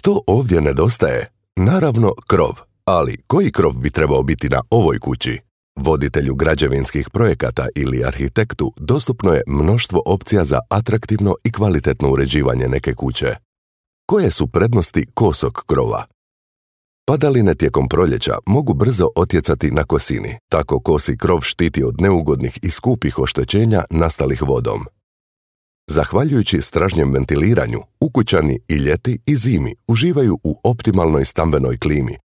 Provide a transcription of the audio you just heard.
Što ovdje nedostaje? Naravno krov, ali koji krov bi trebao biti na ovoj kući? Voditelju građevinskih projekata ili arhitektu dostupno je mnoštvo opcija za atraktivno i kvalitetno uređivanje neke kuće. Koje su prednosti kosog krova? Padaline tijekom proljeća mogu brzo otjecati na kosini, tako kosi krov štiti od neugodnih i skupih oštećenja nastalih vodom. Zahvaljujući stražnjem ventiliranju, ukućani i ljeti i zimi uživaju u optimalnoj stambenoj klimi,